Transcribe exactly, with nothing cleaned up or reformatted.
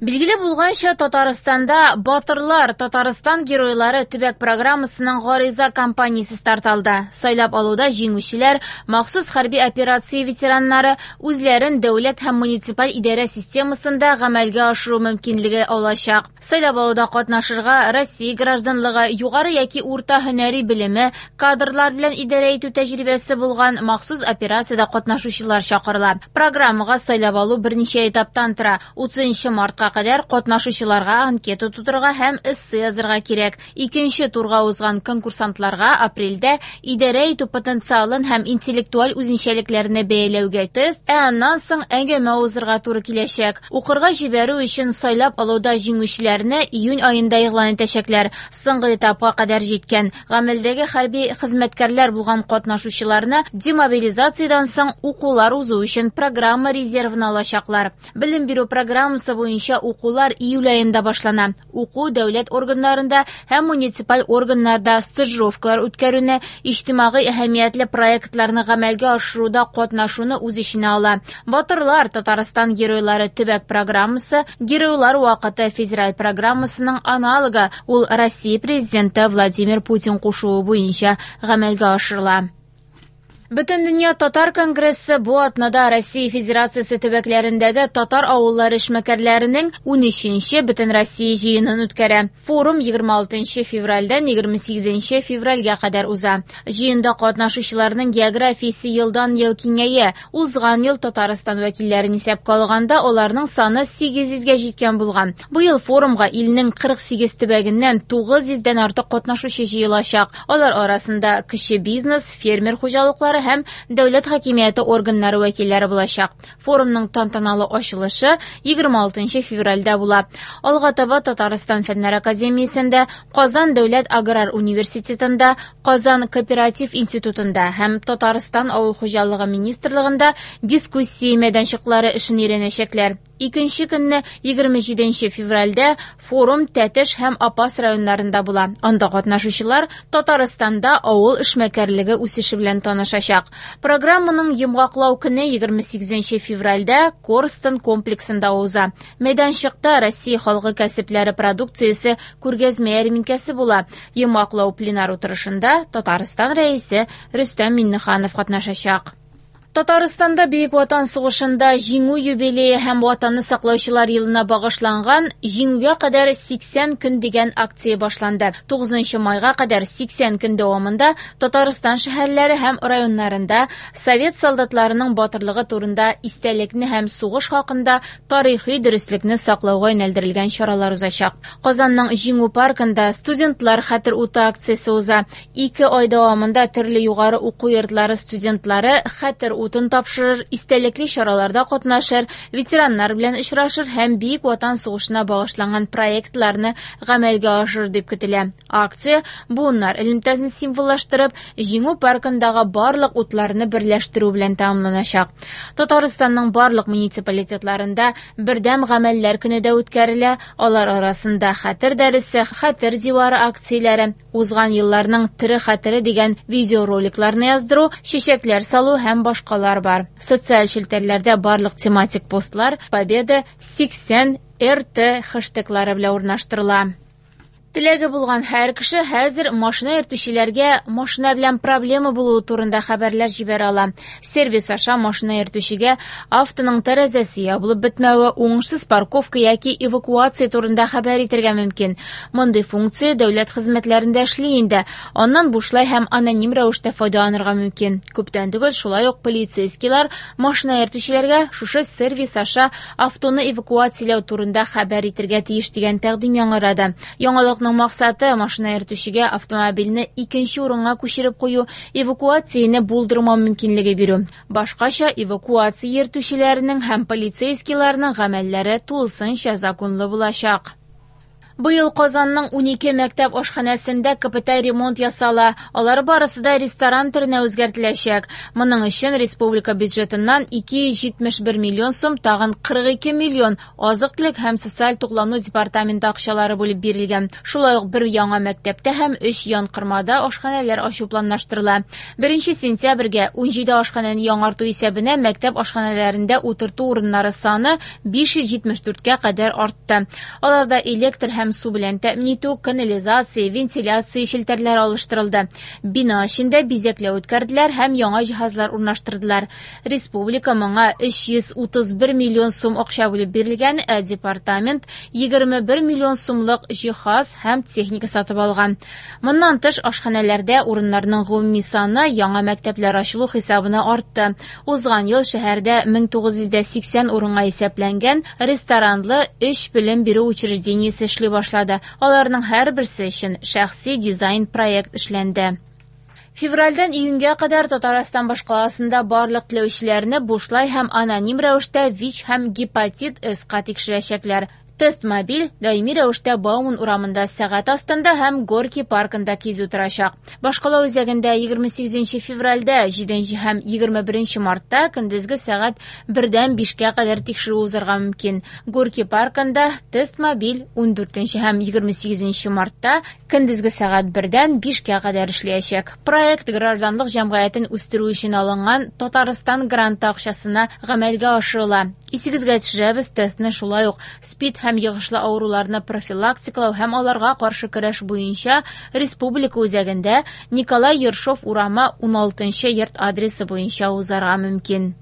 Билгеле булганча, Татарстанда «Батырлар, Татарстан геройлары» төбәк программасының гариза кампаниясе старт алды. Сайлап алуда җиңүчеләр, махсус хәрби операция ветераннары үзләрен дәүләт һәм муниципаль идарә системасында гамәлгә ашыру мөмкинлеге алачак. Сайлап алуда катнашырга Россия гражданлыгы, югары яки урта һөнәри белеме, кадрлар белән идарә итү тәҗрибәсе булган махсус операциядә катнашучылар чакырыла. Программага сайлап алу берничә этаптан тора. утызынчы мартка кадәр катнашучыларга анкета тутырырга һәм эссе язырга кирәк. Икенче турга узган конкурсантларга апрельдә идарә итү потенциалын һәм интеллектуаль үзенчәлекләрне бәяләүгә тест, ә аннан соң әңгәмә узырга туры киләчәк. Укырга җибәрү өчен сайлап алуда җиңүчеләрне июнь аенда игълан итәчәкләр. Соңгы этапка кадәр җиткән гамәлдәге хәрби хезмәткәрләр булган катнашучыларны демобилизациядән соң укулар узу өчен программа резервына алачаклар. Белем бирү программасы буенча укулар июль аенда башлана. Уку дәүләт органнарында һәм муниципаль органнарда стажировкалар үткәрүне, иҗтимагый әһәмиятле проектларны гамәлгә ашыруда катнашуны үз эченә ала. Батырлар, Татарстан геройлары төбәк программасы Геройлар вакыты федераль программасының аналогы, ул Россия президенты Владимир Путин кушуы буенча гамәлгә ашырыла. Бөтендөнья татар конгрессы бу атнада Россия Федерациясе төбәкләрендәге татар авыллары эшмәкәрләренең унөченче Бөтенроссия җыенын үткәрә. Форум егерме алтынчы февральдән егерме сигезенче февральгә кадәр уза. Җыенда катнашучыларның географиясе елдан-ел киңәя. Узган ел Татарстан вәкилләрен исәпкә алганда аларның саны сигез йөзгә җиткән булган. Быел форумга илнең кырык сигез төбәгеннән тугыз йөздән артык катнашучы җыелачак. Алар арасында кече бизнес, фермер хуҗалыклары һәм дәүләт хакимияте органнары вәкилләре булачак. Форумның тантаналы ачылышы егерме алтынчы февральдә була. Алга таба Татарстан Фәннәр академиясендә, Казан дәүләт аграр университетында, Казан кооператив институтында һәм Татарстан авыл хуҗалыгы министрлыгында дискуссия мәйданчыклары эшен өйрәнәчәкләр. Икенче көнне егерме җиденче февральдә форум Тәтеш һәм Апас районнарында була. Анда катнашучылар Татарстанда авыл эшмәкәрлеге үсеше белән танышачак. Программаның йомгаклау көне егерме сигезенче февральдә Корстон комплексында уза. Мәйданчыкта Россия халкы кәсепләре продукциясе күргәзмә ярминкәсе була. Йомгаклау пленар утырышында Татарстан рәисе Рөстәм Миңнеханов катнашачак. Татарстанда Бөек Ватан сугышында җиңү юбилее һәм Ватанны саклаучылар елына багышланган Җиңүгә кадәр сиксән көн дигән акция башланды. Тугызынчы майга кадәр сиксән көн дәвамында Татарстан шәһәрләре һәм районнарында совет солдатларының батырлыгы турында истәлекне һәм сугыш хакында тарихи дөреслекне саклауга юнәлдерелгән чаралар узачак. Казанның Җиңү паркында студентлар хәтер уты акциясе уза. Ике ай дәвамында төрле югары уку йортлары студентлары хәтер утын тапшырыр, истәлекле чараларда катнашыр, ветераннар белән очрашыр һәм Бөек Ватан сугышына багышланган проектларны гамәлгә ашырыр дип көтелә. Акция буыннар элемтәсен символлаштырып, Җиңү паркындагы барлык утларны берләштерү белән тәмамланачак. Татарстанның барлык муниципалитетларында бердәм гамәлләр көне дә үткәрелә. Алар арасында хәтер дәресе, хәтер дивары акцияләре, узган елларның тере хәтере дигән видеороликларны яздыру, чәчәкләр салу һәм башка бар. Социаль челтәрләрдә барлык тематик постлар Победа сиксән эр тэ хэштеглары белән урнаштырыла. Теләге булган һәр кеше хәзер машина йөртүчеләргә машина белән проблема булуы турында хәбәрләр җибәрә ала. Сервис аша машина йөртүчегә автоның тәрәзәсе ябылып бетмәве, уңышсыз парковка яки эвакуация турында хәбәр итәргә мөмкин. Мондый функция дәүләт хезмәтләрендә эшли инде. Аннан бушлай һәм аноним рәвештә файдаланырга мөмкин. Күптән түгел шулай ук полицейскийлар машина йөртүчеләргә шушы сервис аша автоны эвакуацияләү турында хәбәр итәргә тиеш дигән тәкъдим яңгырады. Яңалык максаты машина йөртүчегә автомобильне икенче урынга күчереп кую, эвакуацияне булдырмау мөмкинлеге бирү. Башкача эвакуация йөртүчеләренең һәм полицейскийларның гамәлләре тулысынча законлы булачак. Быел Казанның унике мәктәп ашханәсендә капиталь ремонт ясала. Алар барысы да ресторан төренә үзгәртеләчәк. Моның өчен республика бюджетыннан ике йөз җитмеш бер миллион сум, тагын кырык ике миллион азык-төлек һәм социаль туклану департаменты акчалары бүлеп бирелгән. Шулай ук бер яңа мәктәптә һәм өч янкормада ашханәләр ачу планлаштырыла. Беренче сентябрьгә ун җиде ашханәне яңарту исәбенә мәктәп ашханәләрендә утырту урыннары саны биш йөз җитмеш дүрткә кадәр артты. Аларда электр һәм су белән тәэмин итү, канализация, вентиляция челтәрләре алыштырылды. Бина эчендә бизәкләү үткәрделәр һәм яңа җиһазлар урнаштырдылар. Республика моңа өч йөз утыз бер миллион сум акча бүлеп бирелгән, ә департамент егерме бер миллион сумлык җиһаз һәм техника сатып алган. Моннан тыш ашханәләрдә урыннарның гомуми саны яңа мәктәпләр ачылу хисабына артты. Узган ел шәһәрдә мең тугыз йөз дә сиксән урынга исәпләнгән ресторанлы өч белем бирү учреждениесе эшли башлады. Аларның һәрберсе өчен шәхси дизайн проект эшләнде. Февральдән июньгә кадәр Татарстан башкаласында барлык теләүчеләрне бушлай һәм аноним рәвештә ВИЧ һәм гепатит С-ка тикшерәчәкләр. Тест мобиль даими рәвештә Бауман урамында сәгать астында һәм Горки паркында кизү торачак. Башкала үзәгендә егерме сигезенче февральдә, җиденче һәм егерме беренче мартта көндезге сәгать бердән бишкә кадәр тикшерү узарга мөмкин. Горки паркында тест мобиль ундүртенче һәм егерме сигезенче мартта көндезге сәгать бердән бишкә кадәр эшләячәк. Проект гражданлык җәмгыятен үстерү өчен алынган Татарстан гранты акчасына гамәлгә ашырыла. Исегезгә төшерәбез, тестны шулай ук СПИД һәм йогышлы авыруларны профилактикалау һәм аларга каршы көрәш буенча республика үзәгендә Николай Ершов урамы уналтынчы йорт адресы буенча узарга мөмкин.